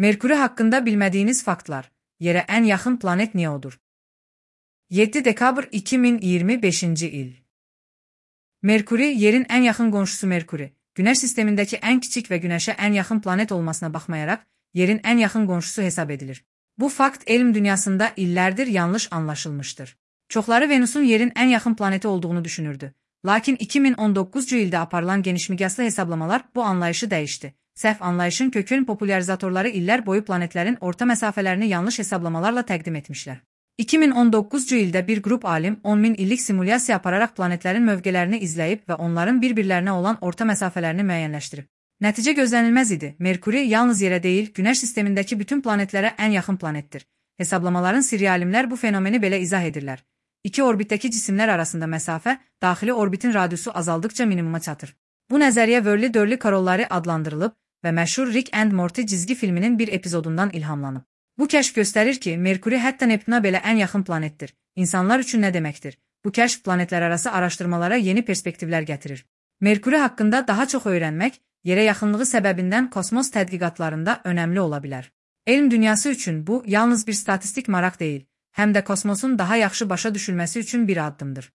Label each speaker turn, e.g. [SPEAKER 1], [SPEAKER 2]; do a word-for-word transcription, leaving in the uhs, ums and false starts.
[SPEAKER 1] Merkuri hakkında bilmədiyiniz faktlar. Yerə ən yaxın planet Neodur. yeddi dekabr iki min iyirmi beşinci il. Merkuri, yerin ən yaxın qonşusu Merkuri, Günəş sistemindəki ən kiçik və Günəşə ən yaxın planet olmasına baxmayaraq, yerin ən yaxın qonşusu hesab edilir. Bu fakt elm dünyasında illərdir yanlış anlaşılmışdır. Çoxları Venusun yerin ən yaxın planeti olduğunu düşünürdü. Lakin iki min on doqquzuncu ildə aparılan genişmiqyaslı hesablamalar bu anlayışı dəyişdi. Səhv anlayışın kökün popularizatorları illər boyu planetlərin orta məsafələrini yanlış hesablamalarla təqdim etmişlər. iki min on doqquzuncu ildə bir qrup alim on min illik simulyasiya apararaq planetlərin mövqələrini izləyib və onların bir-birlərinə olan orta məsafələrini müəyyənləşdirib. Nəticə gözlənilməz idi. Merkuri yalnız yerə deyil, Günəş sistemindəki bütün planetlərə ən yaxın planetdir. Hesablamaların sirri alimlər bu fenomeni belə izah edirlər. İki orbitdəki cisimlər arasında məsafə, daxili orbitin radiusu azaldıqca minimuma çatır. Bu nəzəriyyə Wörley-Dörley Korolları adlandırılıb və məşhur Rick and Morty cizgi filminin bir epizodundan ilhamlanıb. Bu kəşf göstərir ki, Merkuri hətta Neptuna belə ən yaxın planetdir. İnsanlar üçün nə deməkdir? Bu kəşf planetlərarası araşdırmalara yeni perspektivlər gətirir. Merkuri haqqında daha çox öyrənmək, yerə yaxınlığı səbəbindən kosmos tədqiqatlarında önəmli ola bilər. Elm dünyası üçün bu yalnız bir statistik maraq deyil, həm də kosmosun daha yaxşı başa düşülməsi üçün bir addımdır.